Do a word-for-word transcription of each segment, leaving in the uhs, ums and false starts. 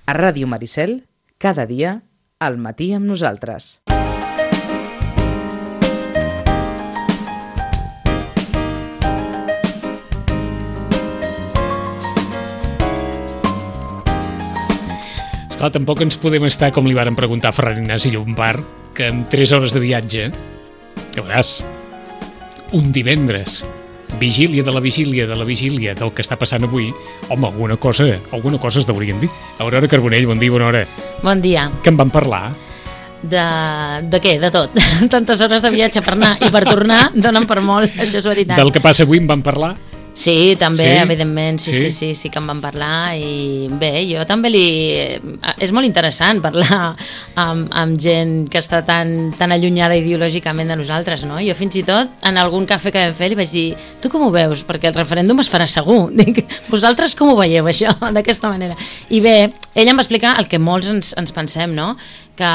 A Ràdio Maricel, cada dia, al matí amb nosaltres. Esclar, tampoc ens podem estar, com li varen preguntar a Ferran Ignasi Llombart, que amb tres hores de viatge, que veuràs, un divendres, vigília de la vigília de la vigília del que està passant avui, home, alguna cosa, alguna cosa es deurien dir. Aurora Carbonell, bon dia, bona hora. Bon dia. Què en van parlar? De, de què? De tot. Tantes hores de viatge per anar i per tornar donen per molt, això és veritat. Del que passa avui en van parlar? Sí, també, sí? evidentment, sí, sí, sí, sí, sí que en van parlar i bé, jo també li... És molt interessant parlar amb, amb gent que està tan, tan allunyada ideològicament de nosaltres, no? Jo fins i tot, en algun cafè que vam fer, li vaig dir, tu com ho veus? Perquè el referèndum es farà segur. Dic, vosaltres com ho veieu, això, d'aquesta manera? I bé, ell em va explicar el que molts ens, ens pensem, no? Que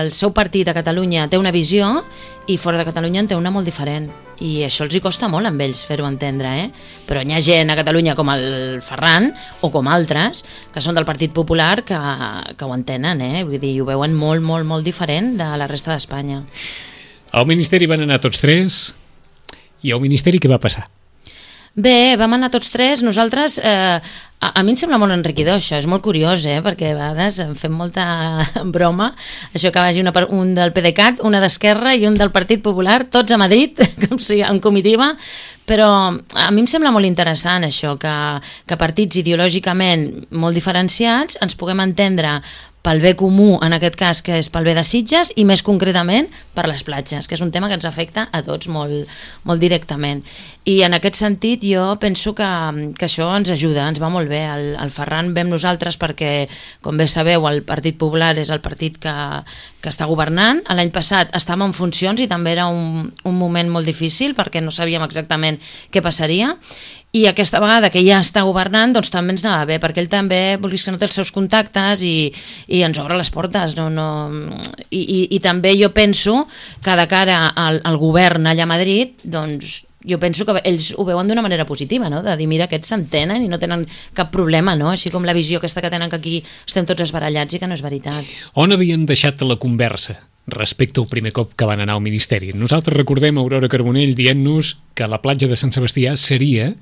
el seu partit a Catalunya té una visió i fora de Catalunya en té una molt diferent. I això els hi costa molt amb ells fer-ho entendre, eh? Però hi ha gent a Catalunya com el Ferran o com altres que són del Partit Popular que, que ho entenen, eh? Vull dir, ho veuen molt, molt, molt diferent de la resta d'Espanya. Al Ministeri van anar tots tres i al Ministeri què va passar? Bé, vam anar tots tres, nosaltres, eh, a, a mi em sembla molt enriquidor això, és molt curiós, eh, perquè a vegades em fem molta broma, això que vagi una, un del PDeCAT, una d'Esquerra i un del Partit Popular, tots a Madrid, com si en comitiva, però a mi em sembla molt interessant això, que, que partits ideològicament molt diferenciats ens puguem entendre pel bé comú, en aquest cas, que és pel bé de Sitges, i més concretament per les platges, que és un tema que ens afecta a tots molt, molt directament. I en aquest sentit jo penso que, que això ens ajuda, ens va molt bé. El, el Ferran ve amb nosaltres perquè, com bé sabeu, el Partit Popular és el partit que, que està governant. L'any passat estàvem en funcions i també era un, un moment molt difícil perquè no sabíem exactament què passaria. I aquesta vegada que ja està governant, doncs també ens anava bé, perquè ell també, vulguis que no, té els seus contactes i, i ens obre les portes. No, no... I, i, I també jo penso que de cara al, al govern allà a Madrid, doncs jo penso que ells ho veuen d'una manera positiva, no? De dir, mira, aquests s'entenen i no tenen cap problema, no? Així com la visió aquesta que tenen que aquí estem tots esbarallats i que no és veritat. On havien deixat la conversa respecte al primer cop que van anar al Ministeri? Nosaltres recordem Aurora Carbonell dient-nos que la platja de Sant Sebastià seria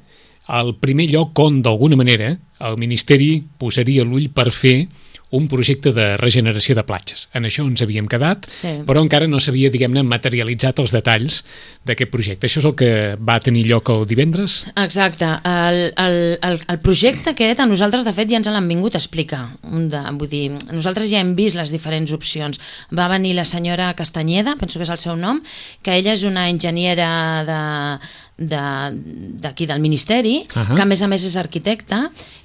el primer lloc on, d'alguna manera, el Ministeri posaria l'ull per fer un projecte de regeneració de platges. En això ens havíem quedat, sí. Però encara no s'havia, diguem-ne, materialitzat els detalls d'aquest projecte. Això és el que va tenir lloc el divendres? Exacte. El, el, el, el projecte aquest a nosaltres, de fet, ja ens l'han vingut a explicar. Un de, vull dir, nosaltres ja hem vist les diferents opcions. Va venir la senyora Castanyeda, penso que és el seu nom, que ella és una enginyera de... d'aquí de, del Ministeri, uh-huh. Que a més a més és arquitecta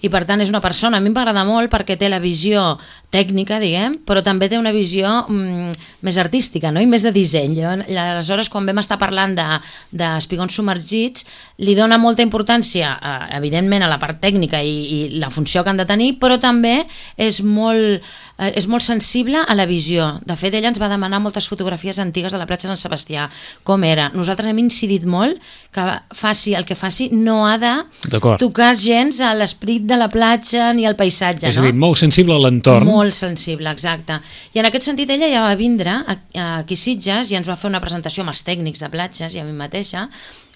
i per tant és una persona, a mi m'agrada molt perquè té la visió tècnica, diguem, però també té una visió mm, més artística, no? I més de disseny. I aleshores, quan vam estar parlant d'espigons de submergits, li dona molta importància, eh, evidentment, a la part tècnica i, i la funció que han de tenir, però també és molt, eh, és molt sensible a la visió. De fet, ella ens va demanar moltes fotografies antigues de la platja de Sant Sebastià, com era. Nosaltres hem incidit molt que faci el que faci, no ha de tocar gens a l'esperit de la platja ni al paisatge. És a dir, no? Molt sensible a l'entorn. Molt sensible, exacte. I en aquest sentit ella ja va vindre aquí a Sitges i ens va fer una presentació amb els tècnics de platges i a mi mateixa,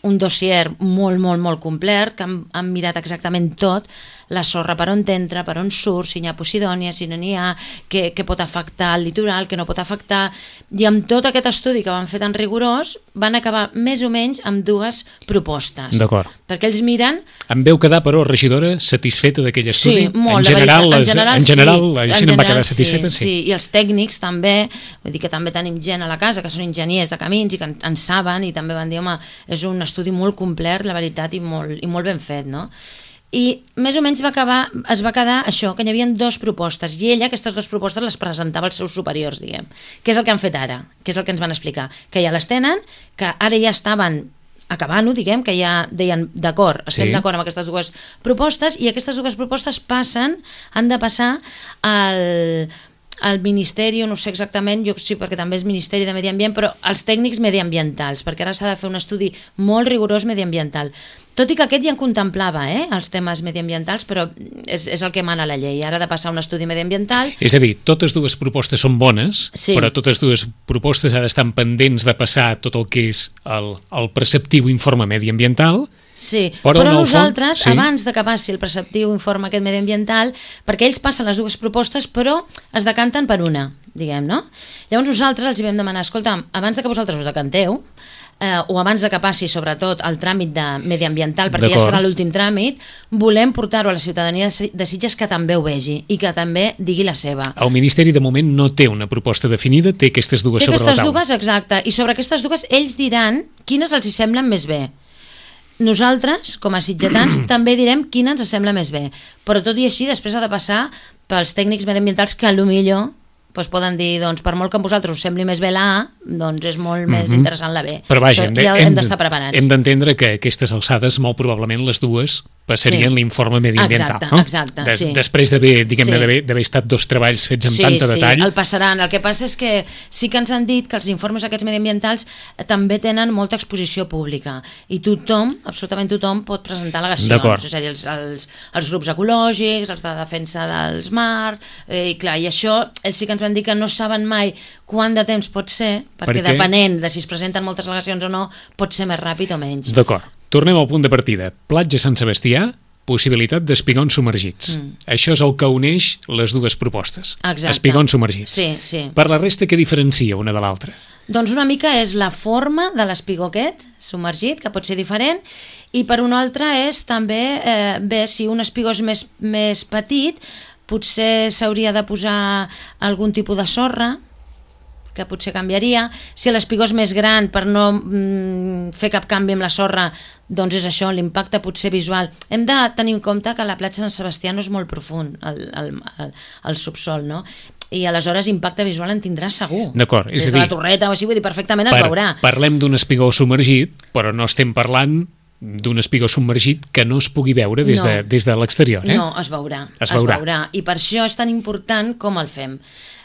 un dossier molt, molt, molt complet, que han, han mirat exactament tot, la sorra per on t'entra, per on surt, si n'hi ha posidònia, si no n'hi ha, què, què pot afectar el litoral, què no pot afectar, i amb tot aquest estudi que van fer tan rigorós, van acabar més o menys amb dues propostes. D'acord. Perquè ells miren... Em veu quedar, però, regidora, satisfeta d'aquell estudi? Sí, molt, en general, veritat, en general, en general, sí. la gent en va quedar satisfeta? Sí, sí, i els tècnics també, vull dir que també tenim gent a la casa que són enginyers de camins i que en, en saben i també van dir, home, és un estudi molt complet, la veritat, i molt, i molt ben fet, no? I més o menys va acabar, es va quedar això, que hi havia dues propostes, i ella aquestes dues propostes les presentava als seus superiors, diguem. Què és el que han fet ara? Què és el que ens van explicar? Que ja les tenen, que ara ja estaven acabant-ho, diguem, que ja deien d'acord, estem sí. d'acord amb aquestes dues propostes, i aquestes dues propostes passen, han de passar al... el Ministeri, no sé exactament, jo sí, perquè també és Ministeri de Medi Ambient, però els tècnics mediambientals, perquè ara s'ha de fer un estudi molt rigorós mediambiental. Tot i que aquest ja en contemplava, eh, els temes mediambientals, però és, és el que mana la llei. Ara ha de passar un estudi mediambiental. És a dir, totes dues propostes són bones, sí. però totes dues propostes ara estan pendents de passar tot el que és el, el preceptiu informe mediambiental. Sí, però, però nosaltres, fons, sí. abans de que passi el preceptiu informe aquest mediambiental, perquè ells passen les dues propostes, però es decanten per una, diguem, no? Llavors nosaltres els hi vam demanar, escolta, abans de que vosaltres us decanteu, eh, o abans de que passi sobretot el tràmit de mediambiental, perquè ja serà l'últim tràmit, volem portar-ho a la ciutadania de Sitges que també ho vegi i que també digui la seva. El Ministeri de moment no té una proposta definida, té aquestes dues té sobre aquestes la taula. Dues, exacte, i sobre aquestes dues ells diran quines els hi semblen més bé. Nosaltres, com a sitgetans, també direm quina ens sembla més bé, però tot i així després ha de passar pels tècnics mediambientals que potser doncs poden dir, doncs, per molt que a vosaltres us sembli més bé la A, doncs és molt mm-hmm. més interessant la B. Però vaja, hem, de, ja hem d'estar preparats. Hem d'entendre que a aquestes alçades molt probablement les dues passarien sí. l'informe mediambiental. Exacte, no? exacte, Des, sí. Després d'haver sí. estat dos treballs fets amb sí, tanta sí, detall. Sí, el passaran. El que passa és que sí que ens han dit que els informes aquests mediambientals també tenen molta exposició pública i tothom, absolutament tothom, pot presentar al·legacions. És a dir, els, els, els grups ecològics, els de defensa dels mars, eh, i clar, i això ells sí que ens van dir que no saben mai quant de temps pot ser, perquè per depenent de si es presenten moltes al·legacions o no, pot ser més ràpid o menys. D'acord. Tornem al punt de partida. Platja Sant Sebastià, possibilitat d'espigons submergits. Mm. Això és el que uneix les dues propostes. Exacte. Espigons submergits. Sí, sí. Per la resta, què diferencia una de l'altra? Doncs una mica és la forma de l'espigó aquest submergit, que pot ser diferent, i per una altra és també eh, bé, si un espigó és més, més petit, potser s'hauria de posar algun tipus de sorra, que potser canviaria. Si l'espigó és més gran, per no mm, fer cap canvi amb la sorra, doncs és això, l'impacte potser visual. Hem de tenir en compte que la platja de Sant Sebastià no és molt profund, el, el, el, el subsol, no? I aleshores impacte visual en tindrà segur. D'acord, és Des a dir... de la torreta o així, vull dir, perfectament es per, veurà. Parlem d'un espigó submergit, però no estem parlant d'un espigó submergit que no es pugui veure des, no. de, des de l'exterior. Eh? No, es veurà, es veurà. Es veurà. I per això és tan important com el fem.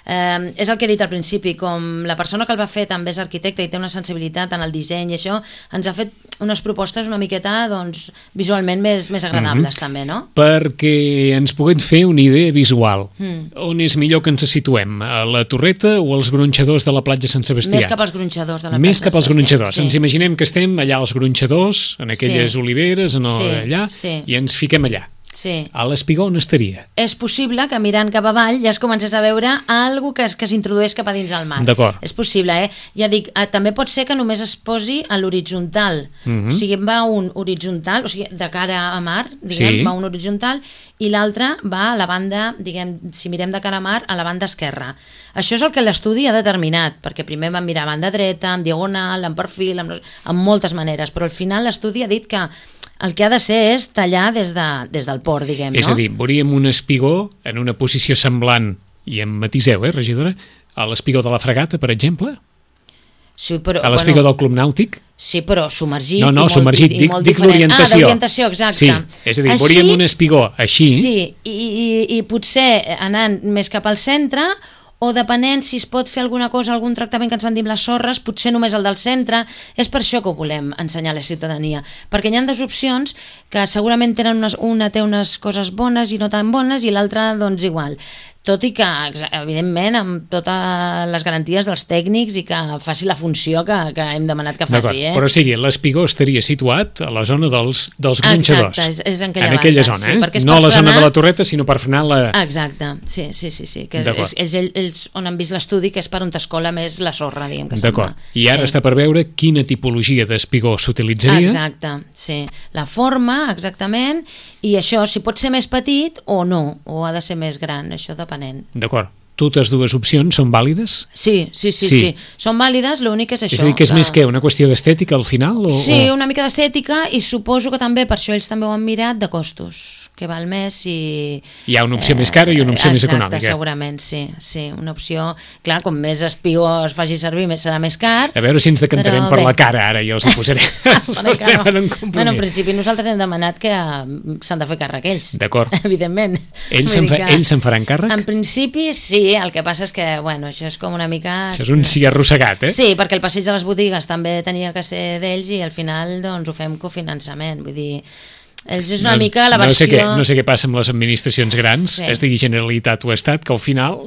Eh, és el que he dit al principi, com la persona que el va fer també és arquitecte i té una sensibilitat en el disseny i això, ens ha fet unes propostes una miqueta doncs, visualment més, més agradables mm-hmm. també, no? Perquè ens puguem fer una idea visual. Mm. On és millor que ens situem? A la torreta o als gronxadors de la platja Sant Sebastià? Més cap als gronxadors de la Més platja cap als gronxadors. Sí. Ens imaginem que estem allà als gronxadors, en aquelles sí. oliveres, en el, sí. allà, sí. i ens fiquem allà. Sí. A l'espigó on estaria? És possible que mirant cap avall ja es comencés a veure alguna cosa que, que s'introdueix cap a dins el mar. D'acord. És possible, eh? Ja dic, eh, també pot ser que només es posi a l'horitzontal. Uh-huh. O sigui, va un horitzontal, o sigui, de cara a mar, diguem, sí. va un horitzontal, i l'altre va a la banda, diguem, si mirem de cara a mar, a la banda esquerra. Això és el que l'estudi ha determinat, perquè primer vam mirar a banda dreta, en diagonal, en perfil, amb, amb moltes maneres, però al final l'estudi ha dit que el que ha de ser és tallar des, de, des del port, diguem, no? És a dir, veuríem un espigó en una posició semblant, i em matiseu, eh, regidora, a l'espigó de la Fregata, per exemple? Sí, però, a l'espigó bueno, del Club Nàutic? Sí, però submergit no, no, i molt, submergit, i, i dic, molt dic l'orientació. Ah, d'orientació, exacte. Sí, és a dir, així, veuríem un espigó així... Sí, i, i, i potser anant més cap al centre, o depenent si es pot fer alguna cosa, algun tractament que ens van dir amb les sorres, potser només el del centre. És per això que ho volem ensenyar a la ciutadania, perquè hi ha dues opcions que segurament tenen unes, una té unes coses bones i no tan bones i l'altra doncs igual, tot i que evidentment amb totes les garanties dels tècnics i que faci la funció que, que hem demanat que faci, eh? Però sigui, l'espigó estaria situat a la zona dels, dels gronxadors. Exacte, és, és en aquella, en aquella banda, zona, eh? Sí, no a la frenar... zona de la torreta, sinó per frenar la... Exacte, sí, sí, sí, sí que és, és ells on han vist l'estudi, que és per on t'escola més la sorra, diguem que D'acord, sembla. i ara sí. està per veure quina tipologia d'espigó s'utilitzaria. Exacte, sí, la forma, exactament, i això, si pot ser més petit o no, o ha de ser més gran, això depenent. D'acord. Totes dues opcions són vàlides? Sí, sí, sí, sí. sí. Són vàlides, l'únic és això. És a dir, que és que... més que una qüestió d'estètica al final? O, sí, o... una mica d'estètica i suposo que també, per això ells també ho han mirat, de costos. que va al mes i... Hi ha una opció eh, més cara i una opció exacte, més econòmica. Exacte, segurament, sí, sí. Una opció... Clar, com més espigó es faci servir, més serà més car. A veure si ens decantarem per bé. La cara, ara, i els hi posaré. posarem en un compromís. Bueno, en principi nosaltres hem demanat que s'han de fer càrrec ells. D'acord. Evidentment. Ells se'n fa, ells se'n faran càrrec? En principi, sí. El que passa és que, bueno, això és com una mica... Això és un sí arrossegat, eh? Sí, perquè el passeig de les botigues també tenia que ser d'ells i al final, doncs, ho fem cofinançament. Vull dir... Ells és una no, mica la versió... No sé, què, no sé què passa amb les administracions grans, sí. Es digui Generalitat o Estat, que al final,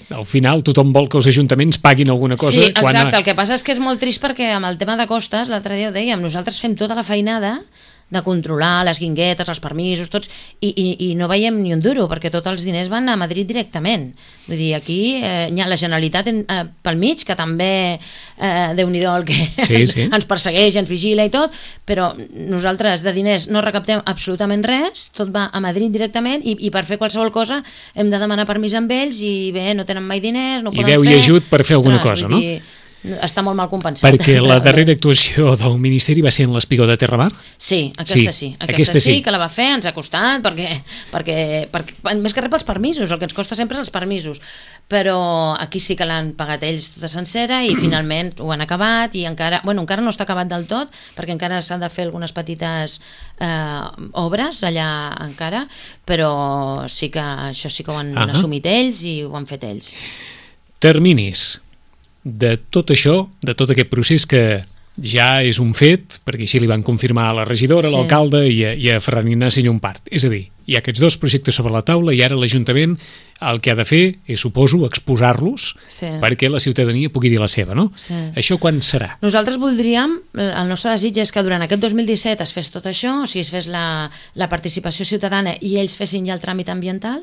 al final tothom vol que els ajuntaments paguin alguna cosa. Sí, exacte, quan a... el que passa és que és molt trist perquè amb el tema de costes, l'altre dia ho dèiem, nosaltres fem tota la feinada de controlar les guinguetes, els permisos, tots, i, i, i no veiem ni un duro, perquè tots els diners van a Madrid directament. Vull dir, aquí eh, hi ha la Generalitat en, eh, pel mig, que també, eh, Déu-n'hi-do el que sí, sí. ens persegueix, ens vigila i tot, però nosaltres de diners no recaptem absolutament res, tot va a Madrid directament, i, i per fer qualsevol cosa hem de demanar permís amb ells, i bé, no tenen mai diners, no ho poden fer. I veu i ajut per fer alguna cosa, no? Dir, està molt mal compensat. Perquè la darrera actuació del Ministeri va ser en l'Espigó de Terramar? Sí, aquesta sí. sí. Aquesta, aquesta sí, sí que la va fer, ens ha costat, perquè, perquè, perquè més que res pels permisos, el que ens costa sempre és els permisos. Però aquí sí que l'han pagat ells tota sencera i finalment ho han acabat i encara, bueno, encara no està acabat del tot, perquè encara s'han de fer algunes petites eh, obres allà encara, però sí que això sí que ho han uh-huh. assumit ells i ho han fet ells. Terminis de tot això, de tot aquest procés que ja és un fet, perquè així li van confirmar a la regidora, sí. a l'alcalde i a, i a Ferran Ignasi Llompart. És a dir, hi ha aquests dos projectes sobre la taula i ara l'Ajuntament el que ha de fer és, suposo, exposar-los sí. perquè la ciutadania pugui dir la seva, no? Sí. Això quan serà? Nosaltres voldríem, el nostre desig és que durant aquest dos mil disset es fes tot això, o sigui, es fes la, la participació ciutadana i ells fessin ja el tràmit ambiental,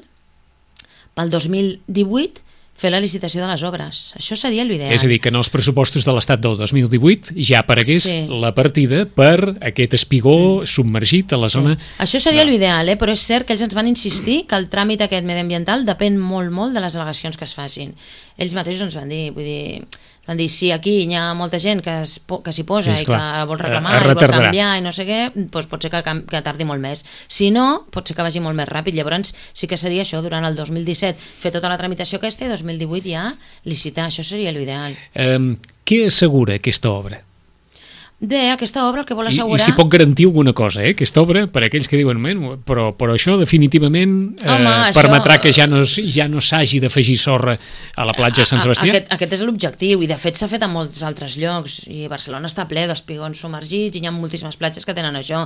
pel dos mil divuit fer la licitació de les obres. Això seria l'ideal. És a dir, que en els pressupostos de l'Estat del dos mil divuit ja aparegués sí. la partida per aquest espigó submergit a la sí. zona... Això seria no. l'ideal, eh? Però és cert que ells ens van insistir que el tràmit aquest mediambiental depèn molt, molt de les al·legacions que es facin. Ells mateixos ens van dir, vull dir... Van dir, si aquí hi ha molta gent que, es, que s'hi posa sí, i clar. que vol reclamar i vol canviar i no sé què, doncs pot ser que, que tardi molt més. Si no, pot ser que vagi molt més ràpid. Llavors sí que seria això, durant el dos mil disset fer tota la tramitació aquesta i dos mil divuit ja licitar. Això seria l'ideal. Um, què assegura aquesta obra? Bé, aquesta obra el que vol assegurar... I, i si pot garantir alguna cosa, eh? Aquesta obra, per aquells que diuen, però, però això definitivament eh, Home, permetrà això... que ja no, ja no s'hagi d'afegir sorra a la platja de Sant Sebastià? Aquest, aquest és l'objectiu, i de fet s'ha fet a molts altres llocs, i Barcelona està ple d'espigons submergits, i hi ha moltíssimes platges que tenen això.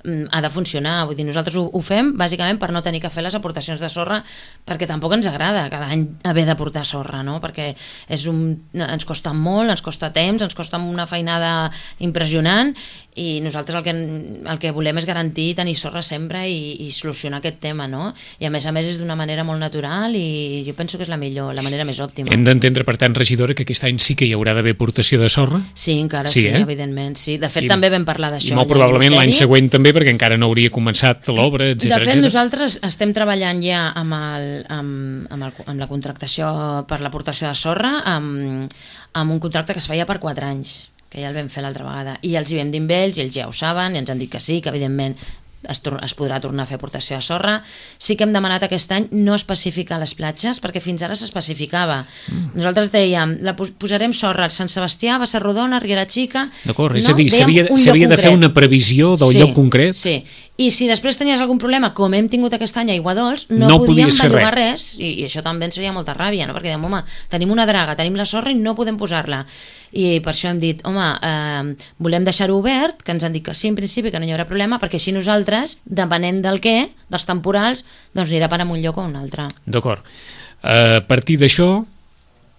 Ha de funcionar, vull dir, nosaltres ho, ho fem bàsicament per no tenir que fer les aportacions de sorra, perquè tampoc ens agrada cada any haver d'aportar sorra, no? Perquè és un, ens costa molt, ens costa temps, ens costa una feinada impressionant impressionant i nosaltres el que, el que volem és garantir tenir sorra sempre i, i solucionar aquest tema, no? I a més a més és d'una manera molt natural i jo penso que és la millor, la manera més òptima. Hem d'entendre, per tant, regidora, que aquest any sí que hi haurà d'haver aportació de sorra? Sí, encara sí, sí eh? evidentment, sí. De fet, I, també vam parlar d'això. I molt probablement l'any següent també, perquè encara no hauria començat l'obra, etcètera. De fet, etcètera. Nosaltres estem treballant ja amb, el, amb, amb, el, amb la contractació per l'aportació de sorra, amb, amb un contracte que es feia per quatre anys, que ja el vam fer l'altra vegada, i els hi vam dir amb ells, i ells ja ho saben, i ens han dit que sí, que evidentment es, es podrà tornar a fer aportació de sorra. Sí que hem demanat aquest any no especificar les platges, perquè fins ara s'especificava. Mm. Nosaltres dèiem, la posarem sorra al Sant Sebastià, va ser Rodona, Riera Xica... D'acord, és no, a dir, s'havia de fer una previsió del sí, lloc concret. Sí, i si després tenies algun problema, com hem tingut aquest any a Aiguadols, no, no podíem bellugar res, i, i això també ens feia molta ràbia, no? Perquè dèiem, home, tenim una draga, tenim la sorra i no podem posar-la. I per això hem dit, home, eh, volem deixar-ho obert, que ens han dit que sí, en principi, que no hi haurà problema, perquè així nosaltres, depenent del què, dels temporals, doncs anirà per a un lloc o un altre. D'acord. A partir d'això,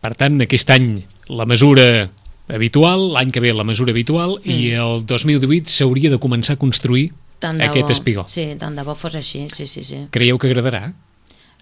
per tant, aquest any la mesura habitual, l'any que ve la mesura habitual, mm. i el dos mil divuit s'hauria de començar a construir tant aquest bo. espigó. Sí, tant de bo fos així, sí, sí, sí. Creieu que agradarà?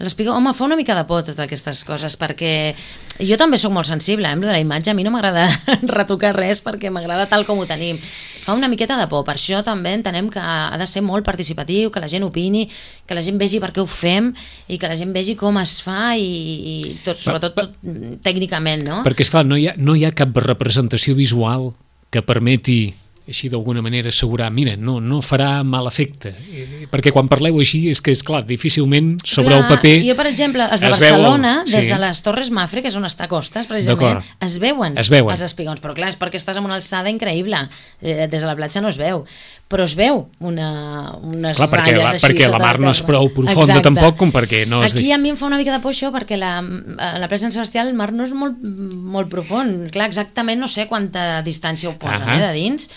L'espigó, home, fa una mica de por totes aquestes coses, perquè jo també sóc molt sensible, eh, amb la imatge, a mi no m'agrada retocar res perquè m'agrada tal com ho tenim. Fa una miqueta de por, per això també entenem que ha de ser molt participatiu, que la gent opini, que la gent vegi per què ho fem i que la gent vegi com es fa i, i tot, sobretot tot, tècnicament, no? Perquè, esclar, no hi ha, no hi ha cap representació visual que permeti així d'alguna manera assegurar, mira, no, no farà mal efecte, eh, perquè quan parleu així és que és clar, difícilment sobre clar, el paper jo per exemple, els de es Barcelona veu, des sí. de les Torres Mafre, que és on està Costes precisament, es veuen, es veuen els espigons, però clar, és perquè estàs en una alçada increïble, eh, des de la platja no es veu, però es veu una, unes clar, perquè ratlles la, així perquè la mar no és prou profunda. Exacte. Tampoc com perquè no es aquí deixi. A mi em fa una mica de por això, perquè la, a la platja de Sant Sebastià el mar no és molt, molt profund, clar, exactament no sé quanta distància ho posen, uh -huh. eh, de dins.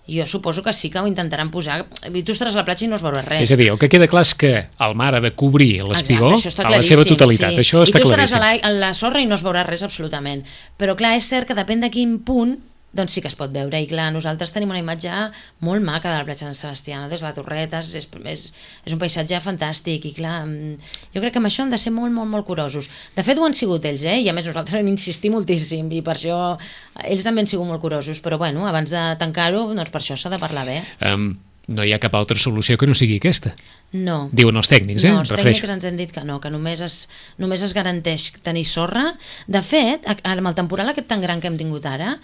Jo suposo que sí que ho intentaran posar. I tu estaràs a la platja i no es veurà res. És a dir, el que queda clar és que el mar ha de cobrir l'espigó a la seva totalitat. Sí. Això està claríssim. I tu estaràs a la, a la sorra i no es veurà res absolutament. Però clar, és cert que depèn de quin punt, doncs sí que es pot veure. I clar, nosaltres tenim una imatge molt maca de la platja de Sant Sebastià, no? Des de la Torreta, és, és, és un paisatge fantàstic i clar, jo crec que amb això hem de ser molt, molt, molt curosos. De fet ho han sigut ells, eh? I a més nosaltres hem insistit moltíssim i per això ells també han sigut molt curosos, però bueno, abans de tancar-ho, doncs per això s'ha de parlar bé. Um, no hi ha cap altra solució que no sigui aquesta. No. Diuen els tècnics, eh? No, els Refereixo. tècnics ens han dit que no, que només es, només es garanteix tenir sorra. De fet, amb el temporal aquest tan gran que hem tingut ara,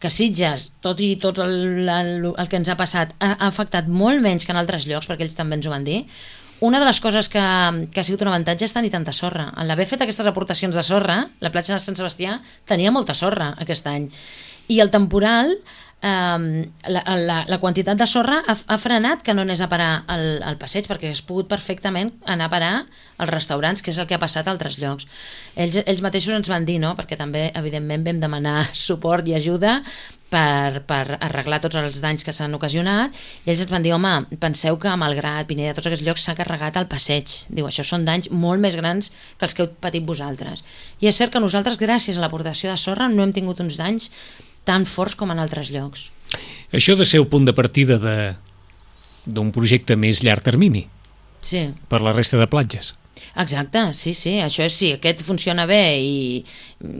que Sitges, tot i tot el, el, el que ens ha passat, ha, ha afectat molt menys que en altres llocs, perquè ells també ens ho van dir. Una de les coses que, que ha sigut un avantatge és tenir tanta sorra. En l'haver fet aquestes aportacions de sorra, la platja de Sant Sebastià tenia molta sorra aquest any. I el temporal, eh, la, la, la quantitat de sorra ha, ha frenat que no anés a parar al, al passeig, perquè hagués pogut perfectament anar a parar als restaurants, que és el que ha passat a altres llocs. Ells, ells mateixos ens van dir, no?, perquè també, evidentment, vam demanar suport i ajuda per, per arreglar tots els danys que s'han ocasionat, i ells ens van dir, home, penseu que a Malgrat, Pineda, tots aquests llocs s'ha carregat el passeig. Diu, això són danys molt més grans que els que heu patit vosaltres. I és cert que nosaltres, gràcies a l'aportació de sorra, no hem tingut uns danys tan forts com en altres llocs. Això ha de ser el punt de partida de d'un projecte més llarg termini. Sí. Per la resta de platges. Exacte, sí, sí, això és, sí, aquest funciona bé i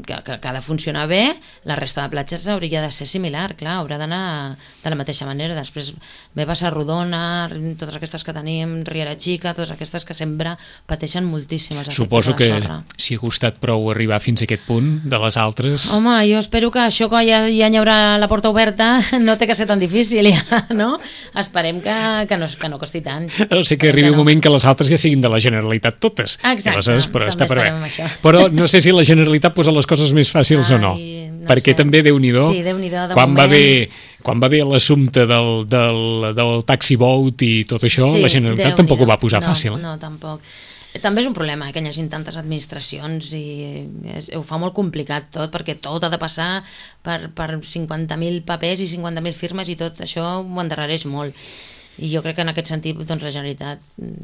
que, que, que ha de funcionar bé, la resta de platges hauria de ser similar, clar, haurà d'anar de la mateixa manera. Després ve Bassa-rodona, totes aquestes que tenim, Riera Xica, totes aquestes que sempre pateixen moltíssim els efectes Suposo de la sorra. Suposo que si ha costat prou arribar fins a aquest punt, de les altres... Home, jo espero que això que ja, ja hi haurà la porta oberta no té que ser tan difícil, ja, no? Esperem que, que, no, que no costi tant. No sé, que arribi un no. moment que les altres ja siguin de la Generalitat totes. Exacte, però també està per esperem això. Però no sé si la Generalitat posa les coses més fàcils Ai, o no, no perquè sé. També Déu-n'hi-do, sí, Déu-n'hi-do quan, moment... va haver, quan va haver l'assumpte del, del, del taxi boat i tot això, sí, la Generalitat tampoc ho va posar no, fàcil. Eh? No, tampoc. També és un problema eh, que hi hagi tantes administracions i és, ho fa molt complicat tot, perquè tot ha de passar per, per cinquanta mil papers i cinquanta mil firmes i tot això ho endarrereix molt. I jo crec que en aquest sentit doncs, la Generalitat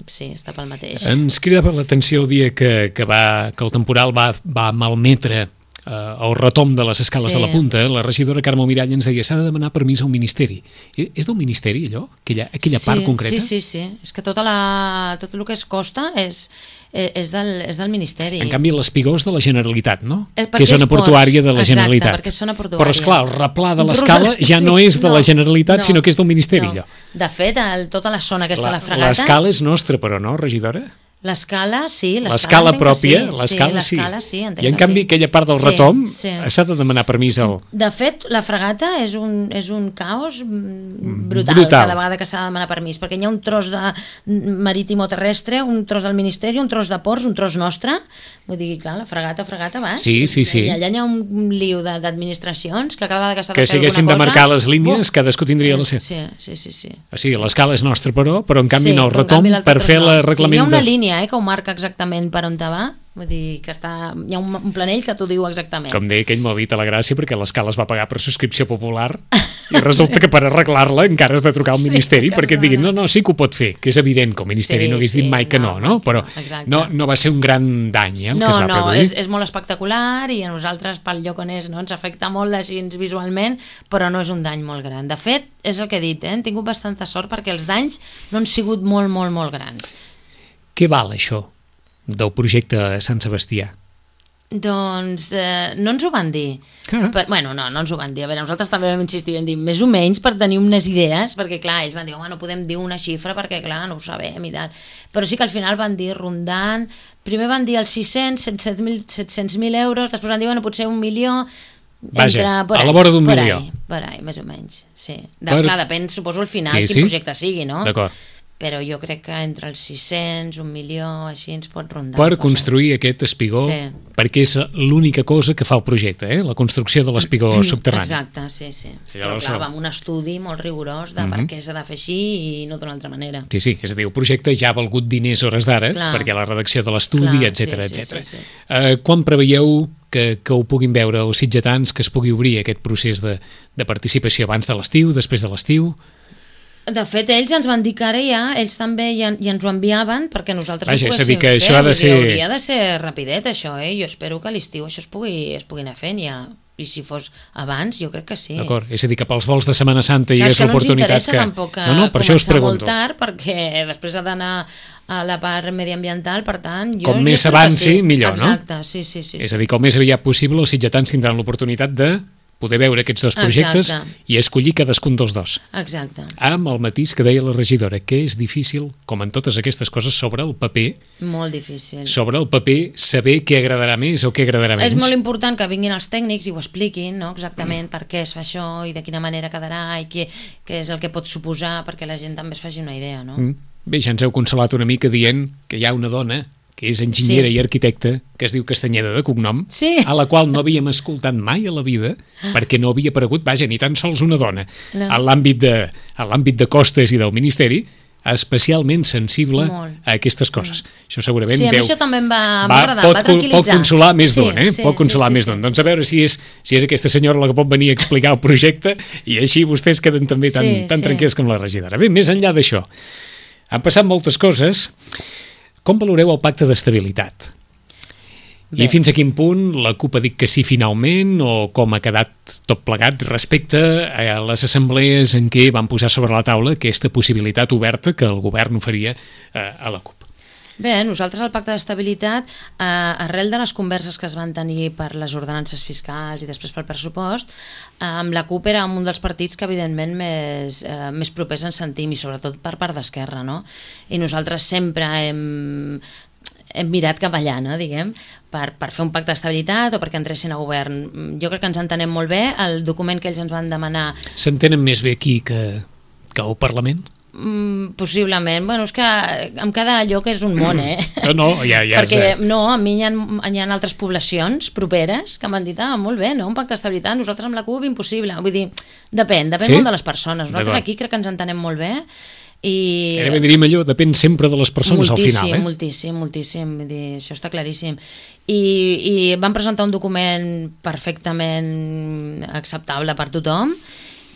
sí, està pel mateix. Ens cridava l'atenció el dia que, que, va, que el temporal va, va malmetre eh, el retom de les escales sí. de la punta. La regidora Carme Mirall ens deia s'ha de demanar permís al Ministeri. És del Ministeri allò? Aquella, aquella sí, part concreta? Sí, sí, sí. És que tota la, tot el que es costa és... És del, és del Ministeri. En canvi, l'Espigó és de la Generalitat, no? Eh, que és zona portuària de la Exacte, Generalitat. perquè és zona portuària. Però, esclar, el replà de l'escala ja sí, no és de no, la Generalitat, no, sinó que és del Ministeri. No. De fet, el, tota la zona aquesta la, de la fregata... L'escala és nostra, però no, regidora? L'escala, sí. L'escala pròpia, sí, l'escala sí. sí. sí I en canvi, sí. aquella part del sí, retom sí. s'ha de demanar permís al... De fet, la fregata és un, és un caos brutal, brutal cada vegada que s'ha de demanar permís, perquè hi ha un tros de marítim o terrestre, un tros del Ministeri, un tros de ports, un tros nostre. Vull dir, clar, la fregata, fregata, vas. Sí, sí, sí. I allà hi ha un liu d'administracions que cada vegada que s'ha de que fer alguna cosa... Que si haguéssim de marcar les línies, oh. cadascú tindria la seva. Sí, sí, sí. sí. O sigui, l'escala és nostra, però, però en canvi sí, no, el retom per fer la reglament... Sí, hi ha una línia eh, que ho marca exactament per on te va, vull dir que està, hi ha un, un planell que t'ho diu exactament. Com deia aquell Malvit a la Gràcia, perquè l'escala es va pagar per subscripció popular i resulta que per arreglar-la encara has de trucar al Ministeri sí, perquè et diguin, no, no, sí que ho pot fer, que és evident que el Ministeri sí, no hagués sí, dit mai que no, no? no? Però no, no va ser un gran dany eh, el no, que es va no, produir. És, és molt espectacular i a nosaltres pel lloc on és no, ens afecta molt així visualment, però no és un dany molt gran. De fet, és el que he dit, eh? Hem tingut bastanta sort perquè els danys no han sigut molt, molt, molt grans. Què val això del projecte Sant Sebastià? Doncs eh, no ens ho van dir. Ah. Per, bueno, no, no ens ho van dir. A veure, nosaltres també vam insistir, vam dir més o menys per tenir unes idees, perquè clar, ells van dir, home, no podem dir una xifra perquè clar, no ho sabem i tal. Però sí que al final van dir rondant, primer van dir els sis-cents, set-cents mil euros, després van dir, bueno, potser un milió, Vaja, Entre, por a ahí, la vora d'un por milió. Ahí, per ahí, més o menys, sí. De, Per- Clar, depèn, suposo, al final, Sí, quin sí. projecte sigui, no? D'acord. Però jo crec que entre els sis-cents, un milió, així ens pot rondar. Per cosa. construir aquest espigó, Sí. perquè és l'única cosa que fa el projecte, eh? La construcció de l'espigó subterrani. Exacte, sí, sí. I Però llavors, clar, no. va amb un estudi molt rigorós de Mhm. per què s'ha de fer així i no d'una altra manera. Sí, sí, és a dir, el projecte ja ha valgut diners hores d'ara, Clar. perquè la redacció de l'estudi, Clar, etcètera, sí, sí, etcètera. sí, sí. Eh, quan preveieu que, que ho puguin veure els sitgetans, que es pugui obrir aquest procés de, de participació abans de l'estiu, després de l'estiu? De fet, ells ens van dir que ara ja, ells també ja, ja ens ho enviaven perquè nosaltres Vaja, ho és a dir, poguéssim que fer. això ha de Vull dir, ser- Hauria de ser rapidet, això, eh? Jo espero que a l'estiu això es pugui, es pugui anar fent ja. I si fos abans, jo crec que sí. D'acord? És a dir, que pels vols de Setmana Santa hi Clar, és hagués que no ens l'oportunitat interessa que... tampoc No, no, per això us començar pregunto. molt tard, perquè després ha d'anar a la part mediambiental, per tant... Jo, Com jo més espero que avanci, sí. millor, no? Exacte, sí, sí, sí. És sí. a dir, com més aviat possible, els sitgetans tindran l'oportunitat de poder veure aquests dos projectes Exacte. i escollir cadascun dels dos. Exacte. Amb el matís que deia la regidora, que és difícil, com en totes aquestes coses, sobre el paper, Molt difícil. sobre el paper, saber què agradarà més o què agradarà menys. És molt important que vinguin els tècnics i ho expliquin, no? Exactament mm. per què es fa això i de quina manera quedarà i què, què és el que pot suposar perquè la gent també es faci una idea, no? Mm. Bé, ja ens heu consolat una mica dient que hi ha una dona que és enginyera Sí. i arquitecta, que es diu Castanyeda de cognom, Sí. a la qual no havíem escoltat mai a la vida, perquè no havia aparegut, vaja, ni tan sols una dona, No. a l'àmbit de, a l'àmbit de costes i del Ministeri, especialment sensible Molt. a aquestes coses. Mm. Això segurament Sí, a mi deu... això també em va, em va Va, agradar, pot, em va tranquil·litzar. pot consolar més Sí, d'un, eh? sí, pot consolar sí, sí, més sí. d'un. Doncs a veure si és, si és aquesta senyora la que pot venir a explicar el projecte i així vostès queden també tan, Sí, tan sí. tranquils com la regidora. Bé, més enllà d'això, han passat moltes coses. Com valoreu el pacte d'estabilitat? Bé. I fins a quin punt la CUP ha dit que sí finalment o com ha quedat tot plegat respecte a les assemblees en què van posar sobre la taula aquesta possibilitat oberta que el govern oferia eh, a la CUP? Bé, nosaltres al Pacte d'Estabilitat, eh, arrel de les converses que es van tenir per les ordenances fiscals i després pel pressupost, eh, amb la CUP era un dels partits que evidentment més, eh, més propers ens sentim, i sobretot per part d'Esquerra, no? I nosaltres sempre hem, hem mirat cap allà, no, diguem, per, per fer un pacte d'estabilitat o perquè entressin a govern. Jo crec que ens entenem molt bé. El document que ells ens van demanar S'entenen més bé aquí que, que al Parlament? Mm, possiblement, bueno, és que amb cada lloc és un món, eh? No, no, ja, ja Perquè, és... no, a mi hi ha, hi ha altres poblacions properes que m'han dit, ah, molt bé, no? Un pacte d'estabilitat, nosaltres amb la CUP impossible. Vull dir, depèn, depèn Sí? molt de les persones. Nosaltres D'acord. aquí crec que ens entenem molt bé i... Ara diríem allò, depèn sempre de les persones al final, eh? Moltíssim, moltíssim, vull dir, això està claríssim. I, i van presentar un document perfectament acceptable per tothom.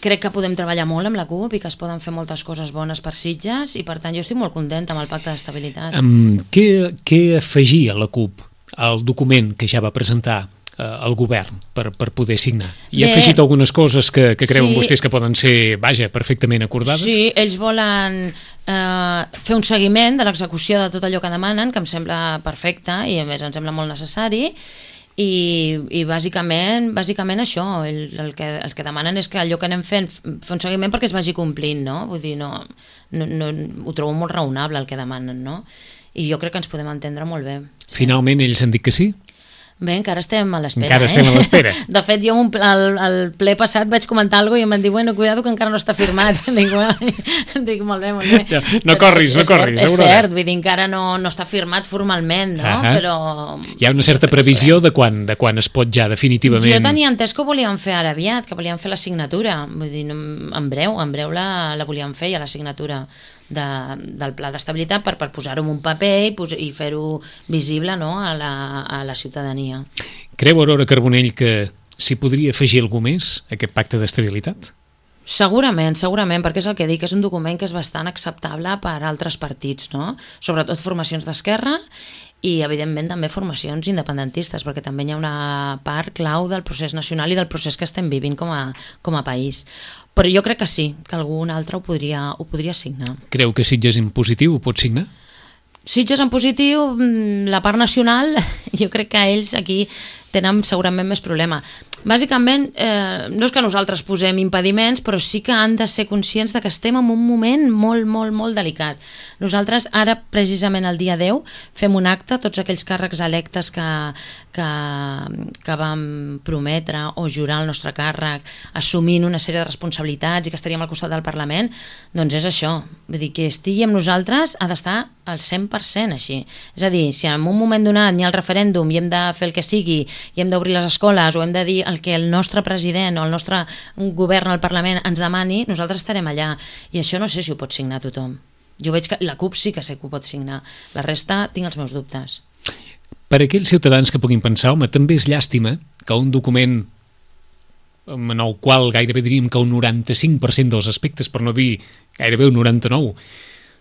Crec que podem treballar molt amb la CUP i que es poden fer moltes coses bones per Sitges i per tant jo estic molt contenta amb el pacte d'estabilitat. Um, què, què afegia la CUP al document que ja va presentar eh, el govern per, per poder signar? I ha Bé. afegit algunes coses que, que creuen Sí. vostès que poden ser, vaja, perfectament acordades? Sí, ells volen eh, fer un seguiment de l'execució de tot allò que demanen, que em sembla perfecte i a més em sembla molt necessari. I, i bàsicament, bàsicament això, el, el, que, el que demanen és que allò que anem fent, fer un seguiment perquè es vagi complint, no? Vull dir, no, no, no, ho trobo molt raonable el que demanen, no? I jo crec que ens podem entendre molt bé. Finalment ells han dit que sí? Bé, encara estem a l'espera, Encara eh? estem a l'espera. De fet, jo un, al, al ple passat vaig comentar alguna cosa i em van dir, bueno, cuidado que encara no està firmat. dic, bueno, dic, molt bé, molt bé. Ja, no corris, no és corris, cert, és Aurora. cert, vull dir, encara no, no està firmat formalment, no? Ahà. Però... Hi ha una certa previsió de quan, de quan es pot ja definitivament... Jo tenia entès que ho volien fer ara aviat, que volien fer la signatura. Vull dir, no- en breu, en breu la, la volien fer ja la signatura de, del pla d'estabilitat per, per posar-ho en un paper i, pos- i fer-ho visible, no? a, la, a la ciutadania. Creu, Aurora Carbonell, que s'hi podria afegir algú més a aquest pacte d'estabilitat? Segurament, segurament, perquè és el que dic, és un document que és bastant acceptable per altres partits, no? Sobretot formacions d'esquerra i, evidentment, també formacions independentistes, perquè també hi ha una part clau del procés nacional i del procés que estem vivint com a, com a país. Però jo crec que sí, que algun altre ho podria, ho podria signar. Creu que Sitges en positiu ho pot signar? Sitges en positiu, mm, la part nacional, jo crec que ells aquí tenen segurament més problema. Bàsicament, eh, no és que nosaltres posem impediments, però sí que han de ser conscients de que estem en un moment molt, molt, molt delicat. Nosaltres ara, precisament el dia deu, fem un acte, tots aquells càrrecs electes que, que, que vam prometre o jurar el nostre càrrec, assumint una sèrie de responsabilitats i que estaríem al costat del Parlament, doncs és això. Vull dir, que estigui amb nosaltres ha d'estar al cent per cent així. És a dir, si en un moment donat n'hi ha el referèndum i hem de fer el que sigui, i hem d'obrir les escoles o hem de dir el que el nostre president o el nostre govern al Parlament ens demani, nosaltres estarem allà. I això no sé si ho pot signar tothom. Jo veig que la CUP sí que sé que ho pot signar. La resta tinc els meus dubtes. Per a aquells ciutadans que puguin pensar, home, també és llàstima que un document en el qual gairebé diríem que un noranta-cinc per cent dels aspectes, per no dir gairebé un noranta-nou,